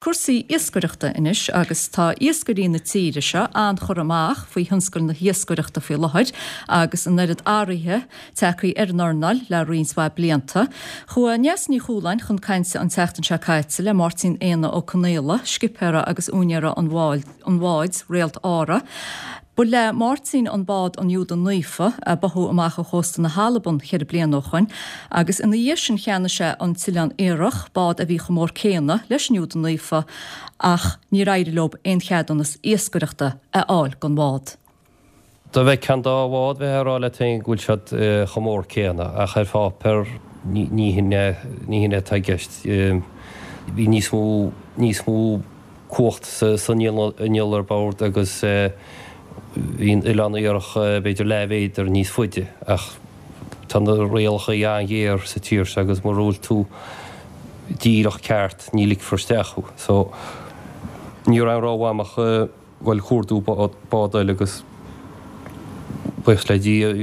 Cúrsaí iascaireachta anois agus tá iascairí na tíre seo an-churtha amach faoi thionscal na hiascaireachta faoi láthair agus an oiread athraithe tagtha ar an earnáil le roinnt mhaith blianta. Chuaigh Neasa Ní Chualáin chun cainte an tseachtain seo caite le Máirtín Éanna Ó Conaola, scipéara agus úinéara an bháid, Réalt Ára. Ba le Máirtín an bád an Iúda Naofa, a báthadh amach ó chósta na hAlban cheithre bliana ó shoin, agus ina dhiaidh sin cheannaigh sé an tOileán Iathrach, bád a bhí chomh mór céanna leis an Iúda Naofa, ach níor éirigh leo aon cheadúnas iascaireachta a fháil don bhád. Dá bhfeicfeá an dá bhád bheifeá ag rá leat féin go bhfuil siad chomh mór céanna, ach ar pháipéar ní hin é, ní hin é atá i gceist. Bhí níos mó, níos mó. cumhacht san inneall ar bord agus bhí an Oileán Iathrach b'fhéidir leathmhéadar níos faide ach tá na rialacha an-ghéar sa tír seo agus mura bhfuil tú díreach ceart ní ligfear isteach thú. So ní raibh aon rogha agam ach dhul ag cuardú bád eile agus buíochas le Dia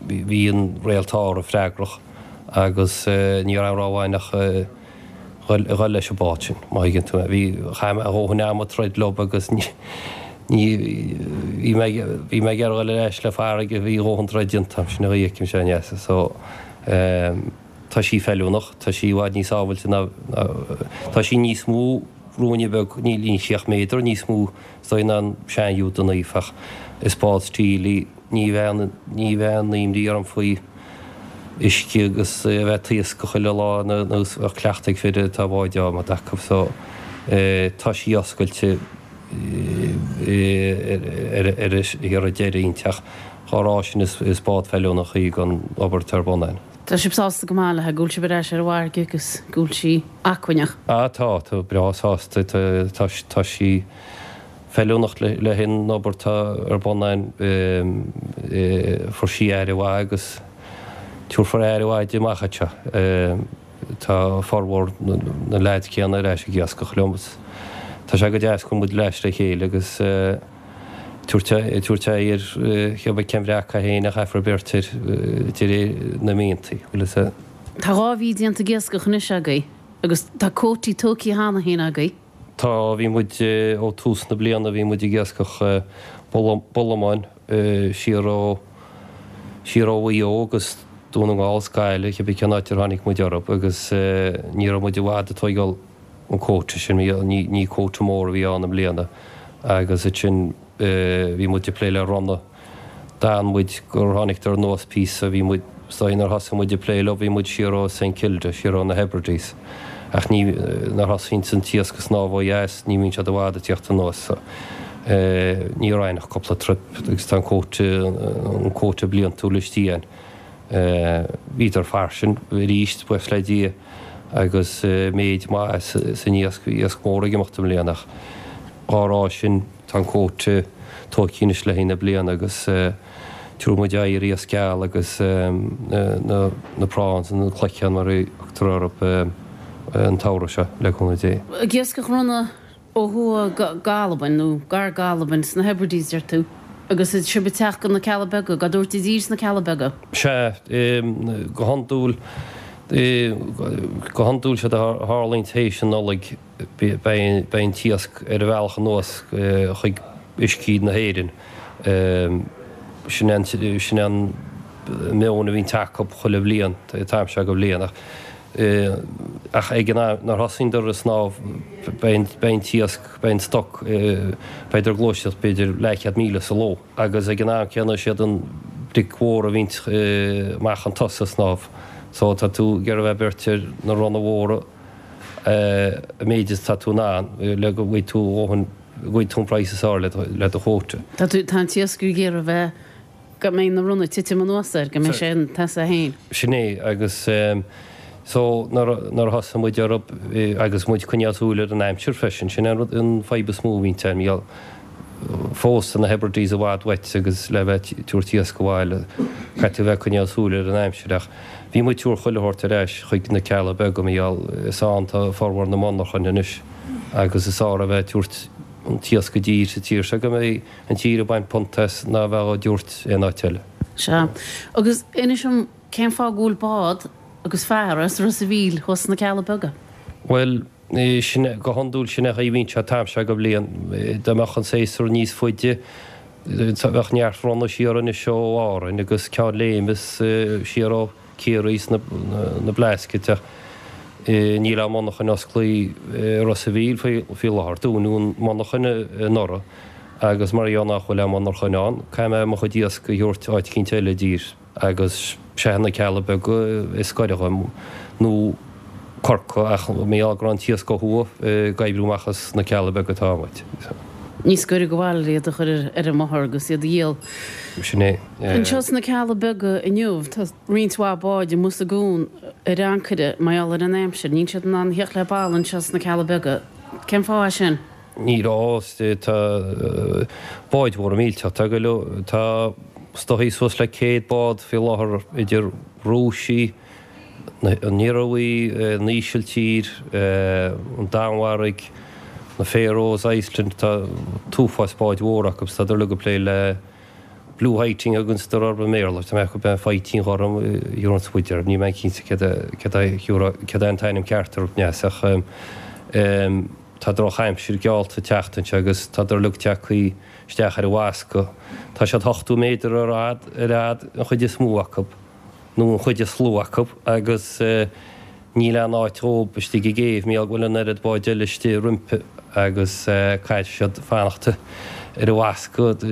Bhí an Réalt Ára freagrach agus ní raibh aon rogha againn ach dhul leis an bád sin, má thuigeann tú mé. Bhí, chaith mé a dhóthain ama ag troid leo agus ní, ní, bhí mé, bhí mé ag iarraidh dhul ar ais le farraige, bhí a dhóthain troid déanta agam, sin an chaoi a fheicimse é, a Neasa. So, tá sí feiliúnach, tá sí i bhfad níos sábhailte ná, tá sí níos mó ruainne beag, níl sí ach méadar níos mó is dóigh ná an sean-Iúda Naofa ach is bád stíl í. Ní bheadh ní bheadh aon imní orm faoi uisce agus a bheith ag taoscadh chuile lá nó bheadh cleachtadh ag fir atá báid adhmaid acu so tá sí oscailte ar ar ar deireadh inti ach dhá rá sin is bád feiliúnach í don obair atá ar bun againn. Tá sibh sásta go maith léi, go bhfuil sibh ar ais ar an bhfarraige agus go bhfuil sí acmhainneach? Ah tá, tá breá sásta, tá tá sí. feiliúnach le haghaidh an obair atá ar bun againn. Fuair sí aire mhaith agus tabharfar aire mhaith di amach anseo. Tá formhór na leaids céanna ar ais ag iascach liom agus tá sé go deas go bhfuil muid ar ais le chéile agus tabhairt aghaidh ar cibé cén bhreac é féin a chaithfear beirt air de réir na mianta, bhfuil fhios a'd. Tá 2 mhí déanta ag iascach anois agaibh agus tá cuótaí tógtha cheana féin agaibh. Tá, bhí muid, ó tús na bliana bhí muid ag iascach bolamáin siar ó, siar ó Mhaigh Eo agus Dún na nGall is Gaillimh, cibé cén áit ar tháinig muid orthu agus ní raibh muid i bhfad ag tóigeáil an quota sin, ní, ní quota mór a bhí ann i mbliana agus ansin bhí muid ag plé le ronna. D'fhan muid gur tháinigdar anuas píosa, bhí muid, is dóigh nuair thosaigh muid ag plé leo, bhí muid siar ó St Kilda, siar ó na Hebrides. Ach ní, nuair thosaíonns an t-iasc ag snámh ó dheas, ní bhíonn siad i bhfad ag tíocht anuas. So, ní raibh ach cúpla trip agus tá an quota, an quota bliantúil istigh againn. Bhíodar fairsing arís, buíochas le Dia, agus méid maith san iasc, bhí iasc mór ag imeacht i mbliana ach dhá rá sin, Tá an quota tógtha anois le haghaidh na bliana agus tabharfaidh muid aghaidh ar iasc geal agus na prawns, na cloicheáin mar a thugtar orthu, an tsamhradh seo, le cúnamh Dé. Ag iascach ronna ó thuaidh d'Albain, nó gar d'Albain, sna Hebrides, deir tú, agus sibh ag teacht go na Cealla Beaga, ag tabhairt i dtír sna Cealla Beaga. Sea, go hiondúil, go hiondúil séard a tharlaíonn théis an Nollaig. Beidh an t-iasc ar a bhealach anuas chuig uiscí na hÉireann. Sin sin an meon a bhíonn acu chuile bhliain, an t-am seo de bhliain. Ach ag an am nuair thosaíondar ag snámh beidh an t-iasc, beidh an stoc, beidh ag gluaiseacht b'fhéidir leathchéad míle sa ló. Agus ag an am céanna is iad an bric mhór a bhíonns amach chun tosaigh ag snámh. So tá tú ag iarraidh a bheith ag beirt ar na ronna mhóra. a mhéid is atá tú in ann le go bhfaighidh tú a dhóthain, go bhfaighidh tú an praghas is fearr le do chuóta. Tá tú, tá an t-iascaire ag iarraidh a bheith, go mbeidh na ronna ag titim anuas air, go mbeidh sé ina sheasamh féin. Sin é, agus so nuair a thosaigh muid orthu agus muid ag coinneáil súil ar an aimsir freisin, sin an rud, an fadhb is mó a bhíonn ann, bhí fós tá na Hebrides i bhfad uait agus le bheith ag tabhairt iasc abhaile, caithfidh tú a bheith ag coinneáil súil ar an aimsir ach bhí muid ag tabhairt chuile shórt ar ais chuig na Cealla Beaga mar gheall is ann tá formhór na monarchan anois agus is fearr a bheith ag tabhairt an t-iasc i dtír sa tír seo go mbeidh an tír ag baint punt as ná a bheith á dtabhairt aon áit eile. Sea. Agus inis dom cén fáth go bhfuil bád agus fear as Ros a' Mhíl thuas sna Cealla Beaga? Bhuel. Sin, go hiondúil sin é an chaoi a bhíonn sé an t-am seo de bhliain. Dá mbeadh an séasúr níos faide, bheadh neart ronna siar anois ó Árainn agus Ceann Léime is siar ó Ciarraí is na Blascaod ach níl aon monarchain osclaí i Ros a' Mhíl faoi láthair. Dúnadh an monarchain anuraidh agus mar gheall nach bhfuil aon mhonarchain ann, caithfidh mé mo chuid iasc a thabhairt áit eicínt eile i dtír. Agus sé na Cealla Beaga is gaire dhom, nó Corcaigh, ach mar gheall go raibh an t-iasc ó thuaidh ag oibriú amach as na Cealla Beaga atá muid. Níos gaire go bhaile iad a chur ar an mbóthar agus iad a dhíol. Sin é. Anseo sna Cealla Beaga inniu tá roinnt mhaith báid amuigh sa gcuan ar ancaire mar gheall ar an aimsir. Níl siad in ann a theacht le balla anseo sna Cealla Beaga. Cén fáth é sin? Ní raibh. Tá báid mhóra millteach. Tá go leor, tá is dóichí suas le 100 bád faoi láthair idir Rúisigh, an Ioruaidh, an Ísiltír, an Danmhairg, na Faroes, Iceland, tá t-uafás báid mhóra acu. Tá siad uilig ag plé le Blue Whiting a thugann siad orthu i mBéarla. Tá mé ag ceapadh faightean ghorm a thiúrfadh muid orthu. Níl mé cinnte céard é an t-ainm ceart orthu neas ach Tá drochaimsir geallta teacht anseo agus tádar uilig tagthaí isteach ar an bhascadh. Tá siad 80 méadar ar fhad, ar fhad, an chuid is mó acu, nó an chuid is lú acu, agus níl aon áit dhóib istigh i gcéibh, mar gheall go bhfuil an oiread báid eile istigh roimpi agus caithfidh siad fanacht ar an bhascadh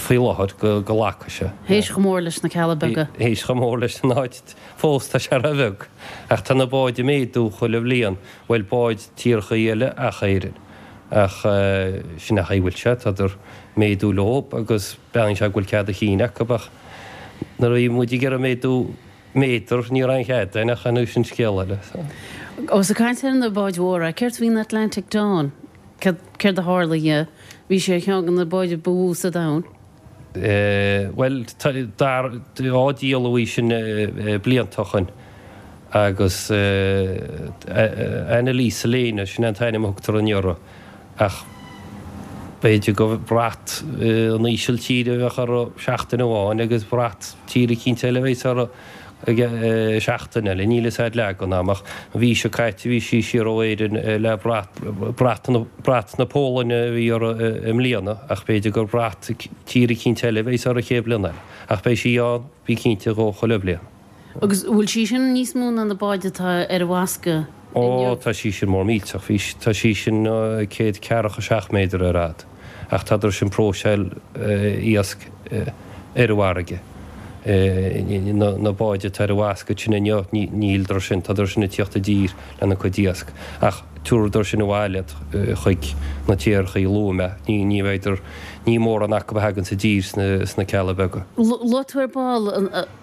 faoi láthair go nglacfaidh sé. Théis chomh mór leis na Cealla Beaga. Théis chomh mór leis an áit fós, tá sé ró-bheag. Ach tá na báid ag méadú chuile bhliain. Bhuel, báid tíorthaí eile ach Éirinn. Ach sin é an chaoi a bhfuil sé, tádar méadú leob agus breathnaíonn sé go bhfuil cead a chinn acu ach nuair a bhí muid ag iarraidh méadú méadar ní raibh aon chead againn ach anois sin scéal eile. Ós ag caint ar na báid mhóra, céard faoin Atlantic Dawn? Céard a tharla dhi? Bhí sé ar cheann de na báid ba mhó sa domhan. Bhuel, dar, á díol a bhí sin blianta ó shoin agus Annalise Lena, sin é an t-ainm a thugtar an iora, ach b'fhéidir gur brat an Ísiltír a bheadh uirthi seachtain amháin agus brat tír eicínt eile a bheas uirthi seachtain eile. Níl fhios a'd leagan a'm ach an mhí seo caite bhí sí siar ó Éirinn le brat, brat na, brat na Polainne a bhí uirthi i mbliana ach b'fhéidir gur brat tír eicínt eile a bheas uirthi an chéad bhliain eile. Ach beidh sí ann, bí cinnte dhó, chuile bhliain. Agus bhfuil sí sin níos mó ná na báid atá ar an bhascadh inniu? Ó, tá sí sin mór millteach. Bhí, tá sí sin 147 méadar ar fhad. Ach tádar sin próiseáil iasc ar an bhfarraige. Na báid atá ar an bhascadh sin inniu, níldar sin, tádar sin ag tíocht i dtír lena cuid iasc. Ach tabharfadar sin abhaile iad chuig na tíorthaí a luaigh mé. Ní bheidar, ní mórán acu a thaganns i dtír sna Cealla Beaga. Luaigh tú ar ball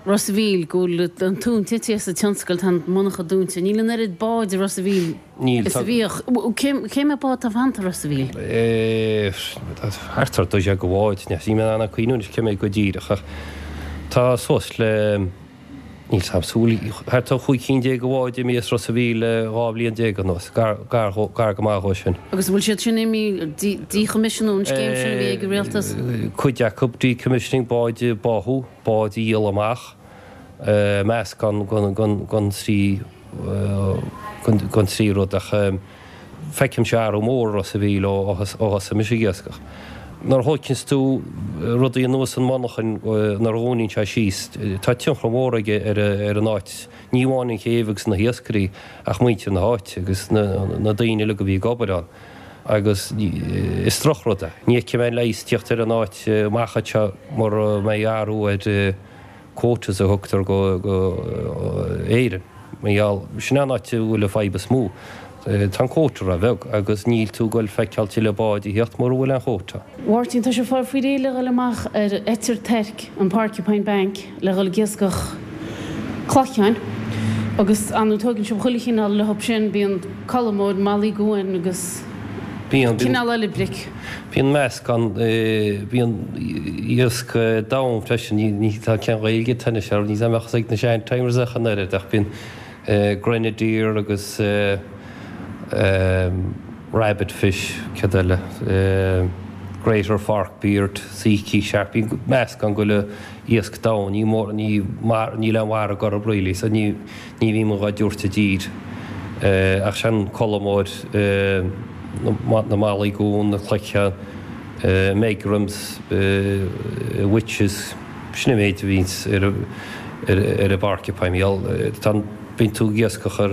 Ros a' Mhíl go bhfuil an tóin tite as an tionscal, tá an mhonarcha dúnta. Níl an oiread báid i Ros a' Mhíl Níl. is a bhíodh. Cé mhéad bád atá fanta i Ros a' Mhíl? Thart ar 12 de bháid. Níl mé in ann cuimhniú anois cé mhéad go díreach ach tá suas le, níl 's a'm, súil, thart ar 15 cinn de bháid imithe as Ros a' Mhíl le 12 bhliain anuas, gar, gar, gar go maith dhó sin. Agus an bhfuil siad sin imithe, díchoimisiúnú, an scéim sin a bhí ag an rialtas? Cuid acu, decommissioning, báid a báthadh, báid a dhíol amach, meascán den trí den trí rud ach feicimse athrú mór i Ros a' Mhíl ó thosaigh mise ag iascach. Nuair a thóigeanns tú rudaí anuas ón monarchain nuair a dhúnann sé síos, tá tionchar mór aige ar an áit, ní amháin an chéibh agus na hiascairí ach muintir na háite agus na daoine uilig a bhí ag obair ann agus is drochrud é. Ní fheicfidh mé an leigheas tíocht ar an áit amach anseo mura mbeidh athrú ar quotas a thugtar go Éirinn. Mar gheall, sin an áit a bhfuil an fadhb is mó. Tá an quota ró-bheag agus níl tú ag goil feiceáil tuilleadh báid a thíocht mura bhfuil an quota. Mháirtín, tá sibh fáil faoi réidh le dhul amach ar Eitir Toirc, an Porcupine Bank, le dhul ag iascach claiceáin agus ar ndóigh tóigeann sibh chuile chineál leo sin, bíonn colmóir, malaí cuain agus Bíonn. cineál eile bric. Bíonn meascán, bíonn iasc donn freisin, ní tá cén Ghaeilge atá anois air, níl a fhios ag na sean-timers ach an oiread, ach bíonn grenadier agus rabbit fish, céard eile, greater forkbeard, silky shark, bíonn meascán go le iasc donn, ní mór, ní, níl aon mhargadh orthu really, so ní, ní bhíonn muid dhá dtabhairt i dtír. Ach sin colmóir, na malaí gún, na cloicheáin, megrims, witches, sin an méid a bhíonns ar an bporcupine. Tá, bíonn tú ag iascach ar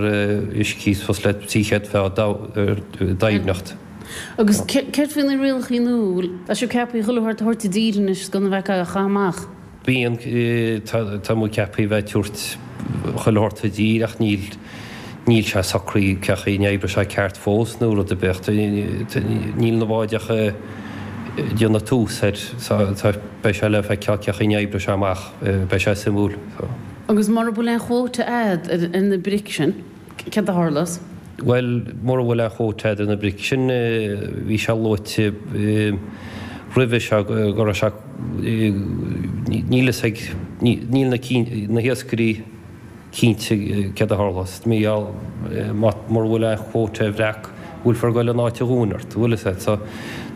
uiscí suas le 300 troigh doimhneacht. Agus céard faoi na rialachaí nua? Tá sibh ceaptha chuile shórt a thabhairt i dtír anois gan a bheith á chaitheamh amach. Bíonn, tá muid ceaptha a bheith ag tabhairt chuile shórt i dtír ach níl, níl sé socraithe cén chaoi a n-oibreoidh sé ceart fós nó rud ar bith. Níl na báid ach ag déanamh tús air so beidh sé le feiceáil cén chaoi a n-oibreoidh sé amach, beidh sé suimiúil. Agus mura bhfuil aon chuóta a'd ar na bric sin? Céard a tharlós? Bhuel, mura bhfuil aon chuóta a'd ar na bric sin, bhí sé luaite roimhe seo go raibh sé, níl fhios ag, níl na, na hiascairí cinnte céard a tharlós. Mura bhfuil aon chuóta ar bhreac, bhfuilfear ag goil in áit a dhúin ort, bhfuil fhios a'd. So,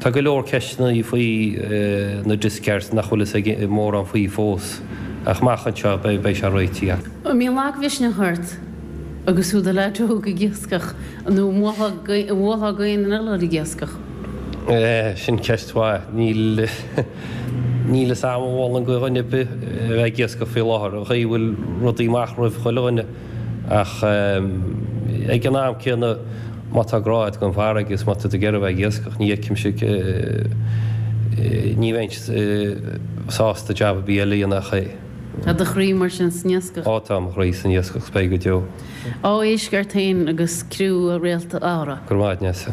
tá go leor ceisteanna faoi na discards nach bhfuil fhios ag mórán faoi fós, ach amach anseo beidh sé réitithe. An mbíonn lagmhisneach ort agus thú i do leaid óg ag iascach nó an mbuailfeá go aon duine eile ag iascach? Sin ceist mhaith. Níl níl fhios a'm an mholfainn go dhuine ar bith a bheith ag iascach faoi láthair, an chaoi a bhfuil rudaí amach roimh chuile dhuine. Ach ag an am céanna má tá grá agat don bhfarraige is má tá tú ag iarraidh a bheith ag iascach ní fheicimse ní bheinn sásta jab ar bith eile a dhéanamh ach é. Tá do chroí mar sin san iascach? Á tá mo chroí san iascach 's beidh go deo. Ádh éisc ort féin agus criú Réalta Ára. Go raibh maith a't Neasa.